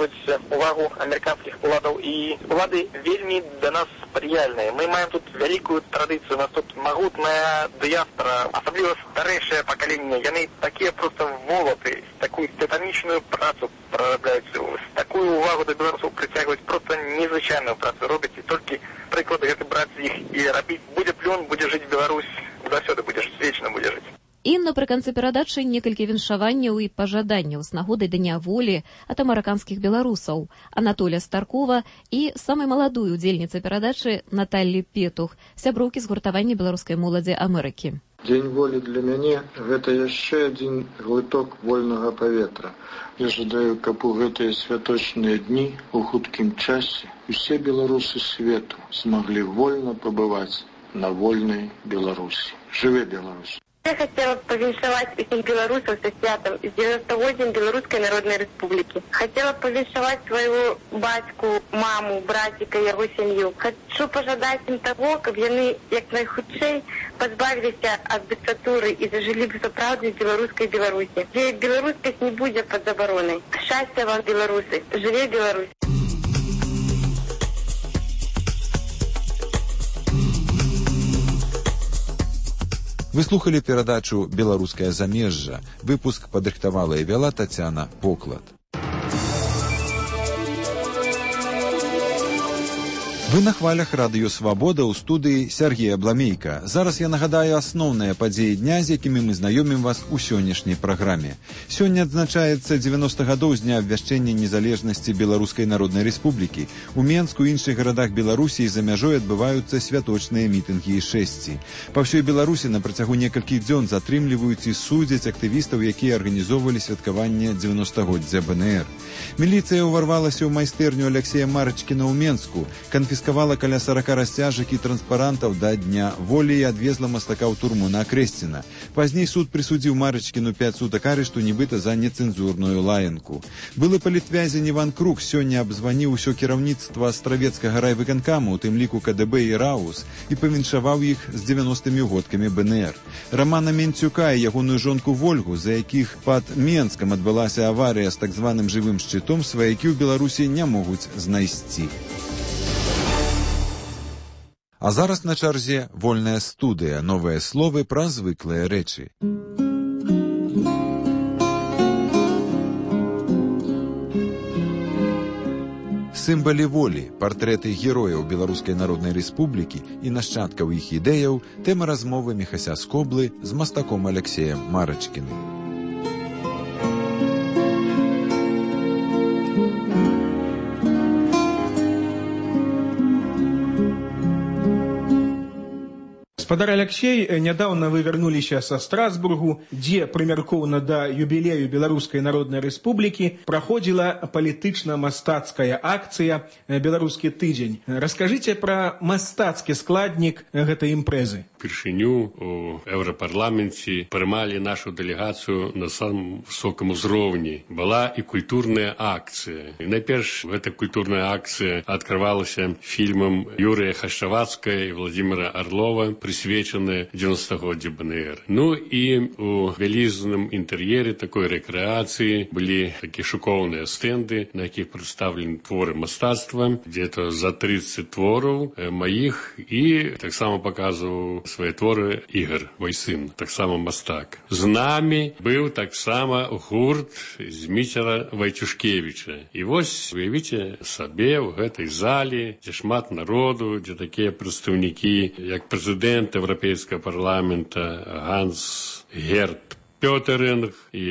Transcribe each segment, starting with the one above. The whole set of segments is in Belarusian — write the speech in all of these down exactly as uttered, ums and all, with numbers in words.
прыцягваць увагу амерыканскіх уладаў, і улады вельмі да нас спрыяльныя. Мы маем тут вялікую традыцыю, у нас тут магутная дыяспора, асабліва старэйшае пакаленне. Яны такія проста волаты, такую титанічную працу прарабляюць, такую увагу да беларусаў прыцягваць, проста незвычайную працу робяць, і толькі прыклады гэты браць з іх і рабіць. Будзе плён, будзе жыць Беларусь, заўсёды будзеш, вечна будзе жыць. І напрыканцы перадачы некалькі віншаванняў і пажаданняў з нагодай Дня волі ад амерыканскіх беларусаў Анатолія Старкова і самай маладой удзельніцы перадачы Наталлі Петух, сяброўкі згуртавання беларускай моладзі Амерыкі. Дзень волі для мяне – гэта яшчэ адзін глыток вольнага паветра. Я жадаю, каб у гэтыя святочныя дні у хуткім часе усе беларусы свету змаглі вольна пабываць на вольнай Беларусі. Жыве Беларусь! Я хотела повіншаваць усіх беларусаў са святам з дзевяностагоддзям Беларускай Народнай Рэспублікі. Хотела повіншаваць свайго бацьку, маму, браціка, яго сям'ю. Хочу пажадаць ім таго, каб яны як найхутчэй пазбавіліся ад дыктатуры і зажылі б сапраўднай беларускай Беларусі, дзе беларускасць не будзе пад забаронай. Шчасця вам, беларусы! Жыве Беларусь! Вы слухали перадачу «Беларускае замежжа». Выпуск падрыхтавала і вяла Тацяна Поклад. Вы на хвалях радыё «Свабода» ў студыі Сергея Бламейка. Зараз я нагадаю асноўныя падзеі дня, з якімі мы знаёмім вас у сённяшняй праграме. Сёння адзначаецца дзевяноста гадоў з дня абвяшчэння незалежнасці Беларускай Народнай Рэспублікі. У Менску і іншых гарадах Беларусі і за мяжой адбываюцца святочныя мітынгі і шэсці. Па ўсёй Беларусі на працягу некалькіх дзён затрымліваюць і судзяць актывістаў, якія арганізоўвалі святкаванне дзевяностагоддзя бэ эн эр. Міліцыя ўварвалася ў майстэрню Аляксея Марачкіна ў Менску, канфіскавала каля сорока расцяжак і транспарантаў да Дня волі і адвезла мастака ў турму на Акрэсціна. Пазней суд прысудзіў Марачкіну пяць сутак арышту, нібыта за нецэнзурную лаянку. Былы палітвязень Іван Крук сёння абзваніў усё кіраўніцтва Астравецкага райвыканкаму, у тым ліку ка дэ бэ і РАУС, і павіншаваў іх з дзевяностымі годкамі бэ эн эр. Рамана Менцюка і ягоную жонку Вольгу, за якіх пад Менскам адбылася аварыя з так званым жывым шчытом, сваякі ў Беларусі не могуць знайсці. А зараз на чарзе вольная студыя, новыя словы пра звыклыя рэчы. Сімвалы волі, партрэты герояў Беларускай Народнай Рэспублікі і нашчадкаў іх ідэяў, тэма размовы Міхася Скоблы з мастаком Аляксеем Марачкіным. Гаспадар Аляксей, нядаўна вы вярнуліся са Страсбургу, дзе прымяркоўна да юбілею Беларускай Народнай Рэспублікі праходзіла палітычна-мастацкая акцыя «Беларускі тыдзень». Раскажыце пра мастацкі складнік гэтай імпрэзы. Упершыню у Еўрапарламенце прымалі нашу дэлегацыю на самым высокім узроўні. Была і культурная акцыя. І найперш гэта культурная акцыя адкрывалася фільмам Юрыя Хашчавацкая і Владзіміра Арлова, присвечаны дзевяностагоддзю бэ эн эр. Ну і у вялізным інтэр'еры такой рэкрэацыі былі такія шыкоўныя стэнды, на якіх прадстаўлены творы мастацтва, где-то за тридцать твораў маіх, і таксама паказваў свае творы Ігор, мой сын, таксама мастак. З намі быў таксама гурт Зміцера Вайцюшкевіча. І вось, уявіце сабе, у гэтай залі, дзе шмат народу, дзе такія прадстаўнікі, як прэзідэнт Европейского парламента Ганс Герт Пётеринг і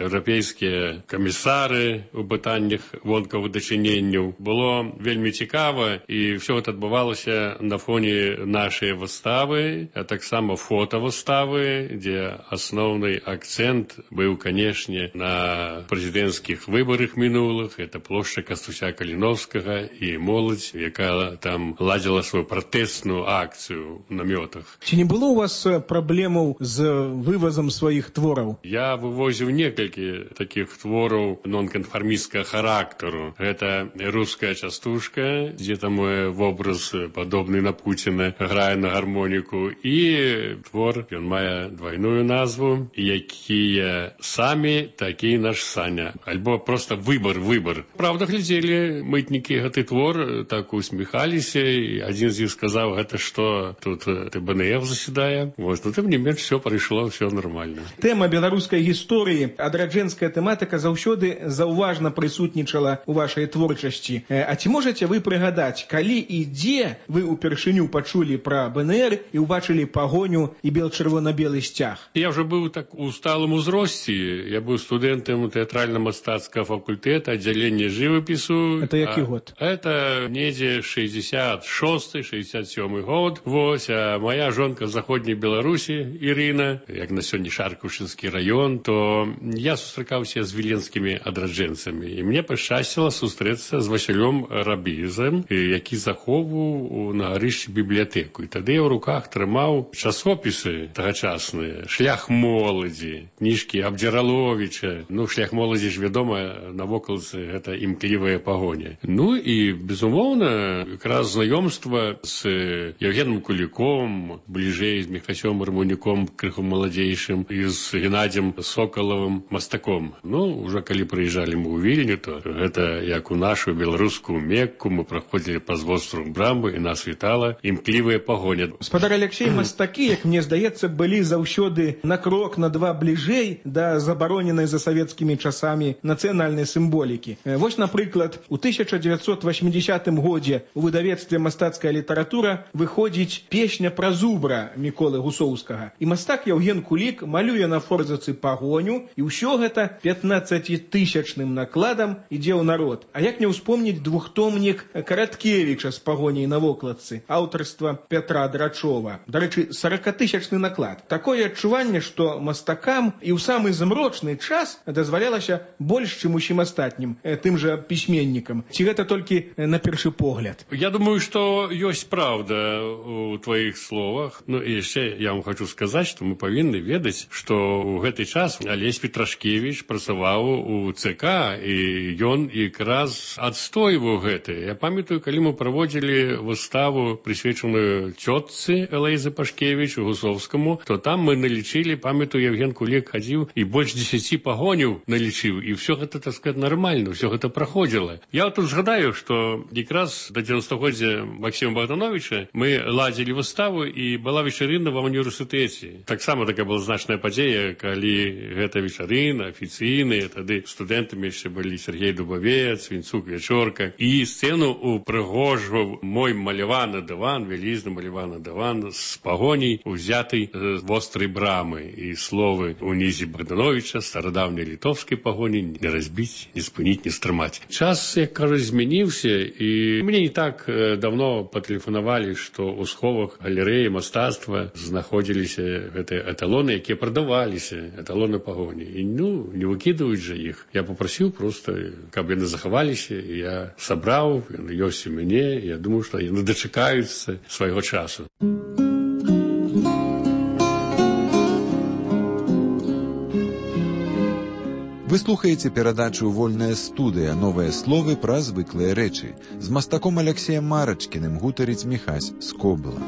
еўрапейскія камісары ў пытаннях вонкавых дачыненняў. Было вельмі цікава, і ўсё гэта адбывалася на фоне нашай выставы, а таксама фотавыставы, дзе асноўны акцэнт быў, канешне, на прэзідэнцкіх выбарах мінулых. Это плошча Кастуся Каліновскага і моладзь, якая там ладзіла сваю пратэсную акцыю ў намётах. Ці не было у вас праблемаў з вывазам сваіх твораў твораў? Я вывозіў некалькі такіх твораў нонканфармісцкага характару. Гэта руская частушка, дзе там вобраз падобны на Пуціна грае на гармоніку, і твор, ён мае двайную назву, якія самі такі наш Саня. Альбо просто выбор, выбор. Правда, глядзелі мытнікі гэты твор, так усміхаліся, і адзін з іх сказаў, гэта што, тут Т Б Н Ф заседае. Вот, но тым не менш, все прайшло, все нормально. Тэма беларускай гісторыі, адраджэнская тэматыка заўсёды заўважна прысутнічала ў вашай творчасці. А ці можаце вы прыгадаць, калі і дзе вы ўпершыню пачулі пра Б Н Р і ўбачылі пагоню і бел-чырвона-белы сцяг? Я ўжо быў так у сталым узросце. Я быў студэнтам тэатральна-мастацкага факультэта, аддзялення жывапісу. Это які а, год? Это недзе шэсцьдзесят шосты шэсцьдзесят сёмы год. Вось, а моя жонка в заходняй Беларусі, Ірына, як на сёння Шаркаўшынскі раён, то я сустракаўся з віленскімі адраджэнцамі. І мне пашчасціла сустрэцца з Васілём Рабізам, які захоўваў на гарышчы бібліятэку. І тады я ў руках трымаў часопісы тагачасныя, шлях моладзі, кніжкі Абдзіраловіча. Ну, шлях моладзі ж вядома, навокалцы гэта імклівая пагоня. Ну і, безумоўна, якраз знаёмства з Евгеном Куліком, бліжэй з Міхасём Армонюком, крыху маладзейшым, і з Геннадзем Сокалавым, мастаком. Ну, уже калі прыязджалі мы ў Вільню, то гэта як у нашу беларускую Мекку, мы праходзілі праз востраў Брамбы, і нас вітала імклівая пагоня. Спадар Алексей, мастакі, як мне здаецца, былі заўсёды на крок, на два бліжэй да забароненай за савецкімі часамі нацыянальнай сімволікі. Вось, напрыклад, у тысяча дзевяцьсот васьмідзесятым годзе у выдавецтве «Мастацкая літаратура» выходзіць песня пра зубра Міколы Гусоўскага. І мастак Яўген Кулік малюе на форзацы пагоню, і ўсё гэта пятнаццацітысячным накладам ідзе ў народ. А як не ўспомніць двухтомнік Караткевіча з пагоняй на вокладцы, аўтарства Пятра Драчова. Дарэчы, саракатысячны наклад. Такое адчуванне, што мастакам і ў самы змрочны час дазвалялася больш, чым усім астатнім, тым жа пісьменнікам. Ці гэта толькі на першы погляд? Я думаю, што ёсць правда у твоих словах. Ну і яшчэ я вам хочу сказаць, што мы павінны ведаць, што ў гэты час Алесь Петрашкевіч працаваў у Цэ Ка, і ён якраз адстойваў гэта. Я памятаю, калі мы праводзілі выставу, прысвечаную цётцы Элэйзы Пашкевіч Гусоўскаму, то там мы налічылі, памятаю, Евген Кулік хадзіў і больш дзесяці пагоняў налічыў, і ўсё гэта, так сказать, нармальна, ўсё гэта праходзіла. Я тут згадаю, што якраз да дзевяностагоддзя Максіма Богдановича мы ладзілі выставу, і была вечарына ва універсітэце. Таксама такая была значная падзея, калі гэта вечарына афіцыйная, тады студэнтамі яшчэ былі Сергей Дубавец, Вінцук Вячорка, і сцэну упрыгожваў мой маляваны дыван, вялізны маляваны дыван з пагоняй, узятай з вострай брамы, і словы унізе Богдановича, старадаўняй літоўскай пагоні, не разбіць, не спыніць, не стрымаць. Час, як кажуць, змяніўся, і мне не так давно патэлефанавалі, што ў сховах галерэі мастацтва знаходзіліся гэтыя эталоны, якія прадаваліся, эталоны пагоні. І, ну, не выкідаюць жа іх. Я папрасіў проста, каб яны захаваліся, і я сабраў, яны ёсць у мяне, і я думаю, што яны дачакаюцца свайго часу. Вы слухаеце перадачу «Вольная студыя. Новыя словы пра звыклыя рэчы». З мастаком Алексеем Марачкіным гутарыць Міхась Скобла.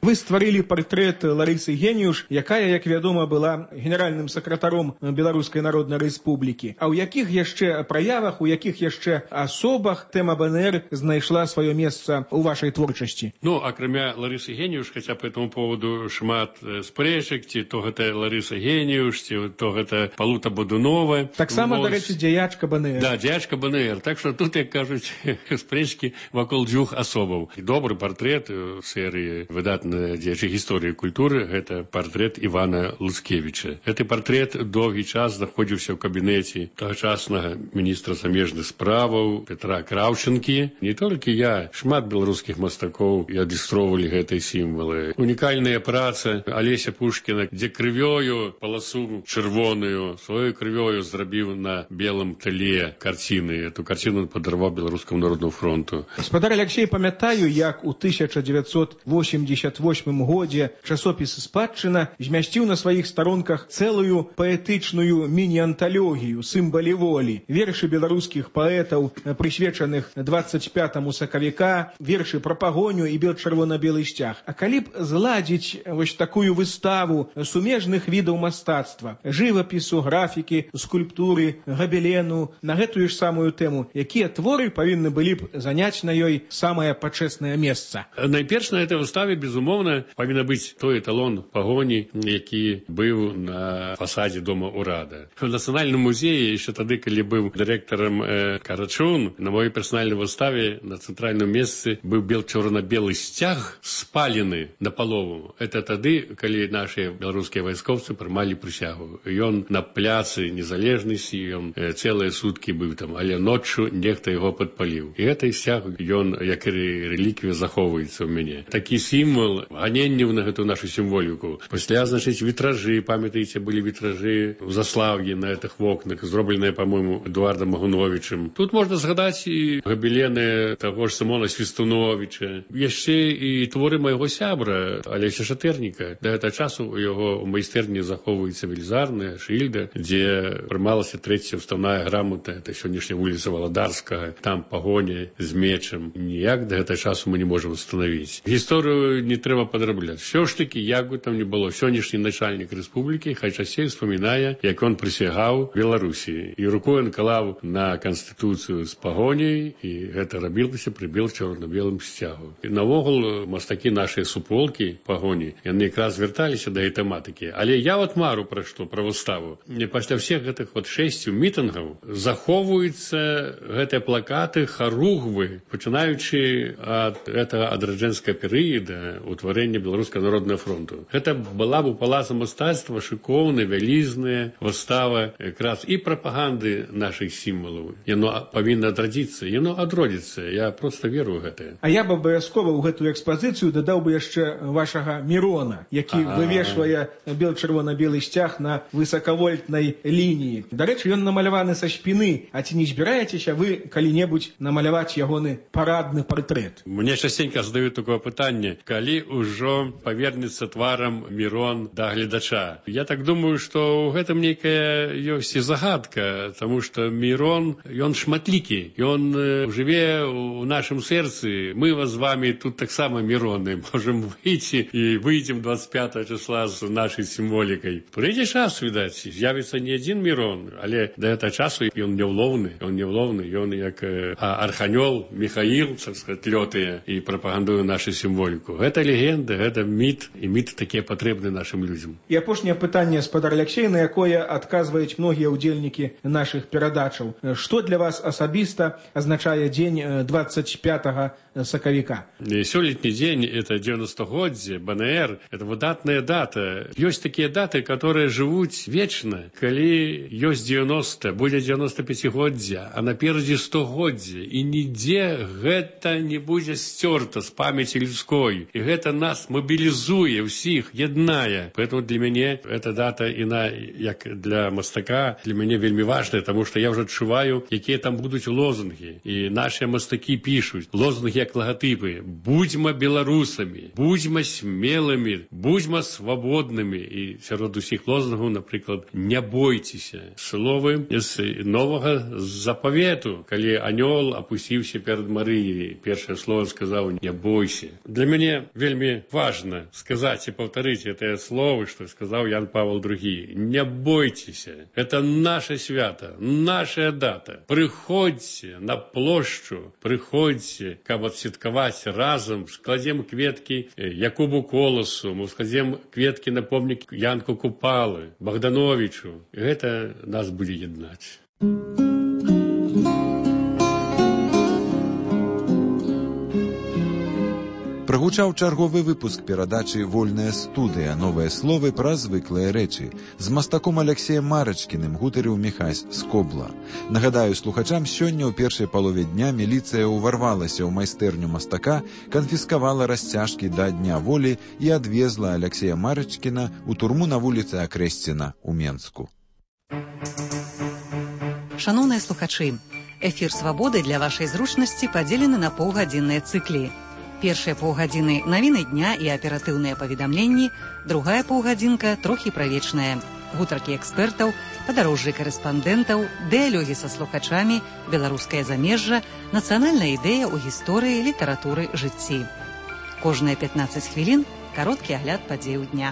Вы стварылі партрэт Ларысы Геніюш, якая, як вядома, была генеральным сакратаром Беларускай Народнай Рэспублікі. А ў якіх яшчэ праявах, у якіх яшчэ асобах тэма Б Н Р знайшла сваё месца ў вашай творчасці? Ну, акрамя Ларысы Геніюш, хаця по этому поводу шмат спрэчак, ці то гэта Ларыса Геніюш, ці то гэта Палута Бодунова. Таксама, вот, дарэчы, дзеячка Б Н Р. Да, дзеячка Б Н Р. Так што тут, як кажуць, спрэчкі вакол дзвюх асобаў. І добры партрэт у серыі выдатных дзеяча гісторыі культуры, гэта партрэт Івана Луцкевіча. Гэты партрэт доўгі час знаходзіўся ў кабінеце тагачаснага міністра замежных справаў Петра Краўчынкі. Не толькі я, шмат беларускіх мастакоў і адлюстроўвалі гэтыя сімвалы. Унікальная праца Алеся Пушкіна, дзе крывёю паласу чырвоную, сваёй крывёю зрабіў на белым тле карціны. Эту карціну падарваў Беларускаму народному фронту. Гаспадар Аляксей, памятаю, як у тысяча дзевяцьсот восемьдесят восьмым годзе часопіс «Спадчына» змясціў на сваіх старонках цэлую паэтычную міні-анталогію «Сімвалы волі», вершы беларускіх паэтаў, прысвечаных двадцать пятому сакавіка, вершы пра пагоню і бел-чырвона-белы сцяг. А калі б зладзіць вось такую выставу сумежных відаў мастацтва, жывапісу, графікі, скульптуры, габелену, на гэтую ж самую тэму, якія творы павінны былі б заняць на ёй самае пачэснае месца? Найперш на этой выставе, безумоўна, павінна быць той эталон пагоні, які быў на фасадзе дома ўрада. В Нацыянальным музеі, яшчэ тады, калі быў дырэктарам э, Карачун, на моей персанальнай выставе на цэнтральным месцы быў бел-чорна-белы сцяг спалены на палову. Это тады, калі нашыя беларускія вайскоўцы прымалі прысягу. Ён на пляцы незалежнасці, ён э, цэлыя суткі быў там, але ноччу нехта яго падпаліў. І гэты сцяг, ён, як і рэліквія, захоўваецца ў мяне. Такі сімвал ганенняў на гэту нашу сімволіку. Пасля, значыць, вітражы, памятаеце, былі вітражы ў Заслаўі на гэтых вокнах, зробленыя, па-мойму, Эдуардам Магуновічым. Тут можна згадаць і габелены таго ж Сымона Свістуновіча, яшчэ і творы майго сябра Алеся Шатэрніка. Да гэтага часу у яго ў майстэрні захоўваецца велізарная шыльда, дзе прымалася трэцяя ўставная грамата, это сённяшняя вуліца Валадарскага, там пагоня з мечам. Ніяк да гэтага часу мы не можам установіць. Гісторыю не трэба падрабляць. Всё ж таки, як бы там ни было, сённяшні начальнік рэспублікі хай часцей успамінае, як ён прысягаў Беларусі. І рукою наклаў на канстытуцыю з пагоняй, і гэта рабілася пры бел-чорна-белым сцягу. І навогул мастакі нашыя суполкі пагоні, яны якраз вярталіся да гэтай тэматыкі. Але я вот мару пра што, пра выставу. Пасля всех гэтых вот шэсцю мітынгаў захоўваюцца гэтыя плакаты, харугвы, пачынаючы ад гэтага адраджэнскага перыяда утварэння Беларускага народнага фронту. Гэта была б у палаца мастацтва шыкоўная, вялізная выстава якраз і прапаганды нашых сімвалаў. Яно павінна адрадзіцца, яно адродзіцца. Я проста веру ў гэта. А я б абавязкова ў гэтую экспазіцыю дадаў бы яшчэ вашага Мірона, які вывешвае бел-чырвона-белы сцяг на высакавольтнай лініі. Дарэчы, ён намаляваны са спіны. А ці не збіраецеся вы калі-небудзь намаляваць ягоны парадны партрэт? Мне частенька задаюць такое пытанне, калі ўжо павернецца тварам Мірон да гледача. Я так думаю, што ў гэтым нейкая ёсць і загадка, таму што Мірон, ён шматлікі, ён жыве ў нашым сэрцы. Мы вас з вами тут таксама Міроны можам выйти і выйдзем двадцать пятого числа з нашай сімволікай. Прыйдзе час, відаць, з'явіцца не адзін Мірон, але да гэтага часу ён няўлоўны, ён няўлоўны, ён як арханёл Михаил, так сказать, лётае і прапагандуе нашу сімволіку. Гэта легенда, гэта міт, і міт такія патрэбны нашым людзям. І апошняе пытанне, спадар Аляксей, на якое адказваюць многія ўдзельнікі нашых перадачаў. Што для вас асабіста азначае дзень двадцать пятого сакавіка? Сёлетні дзень — это девяностогоддзе, БНР, это выдатная дата. Ёсць такія даты, которые жывуць вечна. Калі ёсць девяносто, будзе девяносто пяцігоддзя, а наперадзе стогоддзе, і нідзе гэта не будзе сцёрта з памяці людской. І гэта нас мобілізуе ўсіх, яднае. Поэтому для мяне эта дата, іна, як для мастака, для мяне вельмі важная, тому што я ўжо адчуваю, якія там будуць лозунгі. І нашыя мастакі пішуць лозунгі як лагатыпы: будзьма беларусамі, будзьма смелымі, будзьма свабоднымі. І сярод усіх лозунгаў, напрыклад, не бойцеся. Словы з новага запавету, калі анёл апусціўся перад Марыяй, першае слово сказаў: не бойся. Для мяне вельмі важна сказаць і паўтарыць гэтыя словы, што сказаў Ян Павел другі. Не бойцеся. Это наше свята, наша дата. Прыходзьце на плошчу, прыходзьце, каб адсвяткаваць разам, складзем кветкі Якубу Коласу, мы складзем кветкі на помнік Янку Купалы, Богдановичу. Гэта нас будзе яднаць. Гучаў чарговы выпуск перадачы «Вольная студыя. Новыя словы пра звыклыя рэчы». З мастаком Аляксеем Марачкіным гутарыў Міхась Скобла. Нагадаю слухачам, сёння ў першай палове дня міліцыя ўварвалася ў майстэрню мастака, канфіскавала расцяжкі да Дня волі і адвезла Аляксея Марачкіна ў турму на вуліцы Акрэсціна ў Менску. Шановныя слухачы, эфір «Свабоды» для вашай зручнасці падзелены на паўгадзінныя цыклі. Першыя паўгадзіны навіны дня і аператыўныя паведамленні, другая паўгадзінка трохі правечная. Гутаркі экспертаў, падарожжы карэспандэнтаў, дыялогі са слухачамі, беларускае замежжа, нацыянальная ідэя ў гісторыі, літаратуры, жыцці. Кожныя пятнаццаць хвілін кароткі агляд падзеяў дня.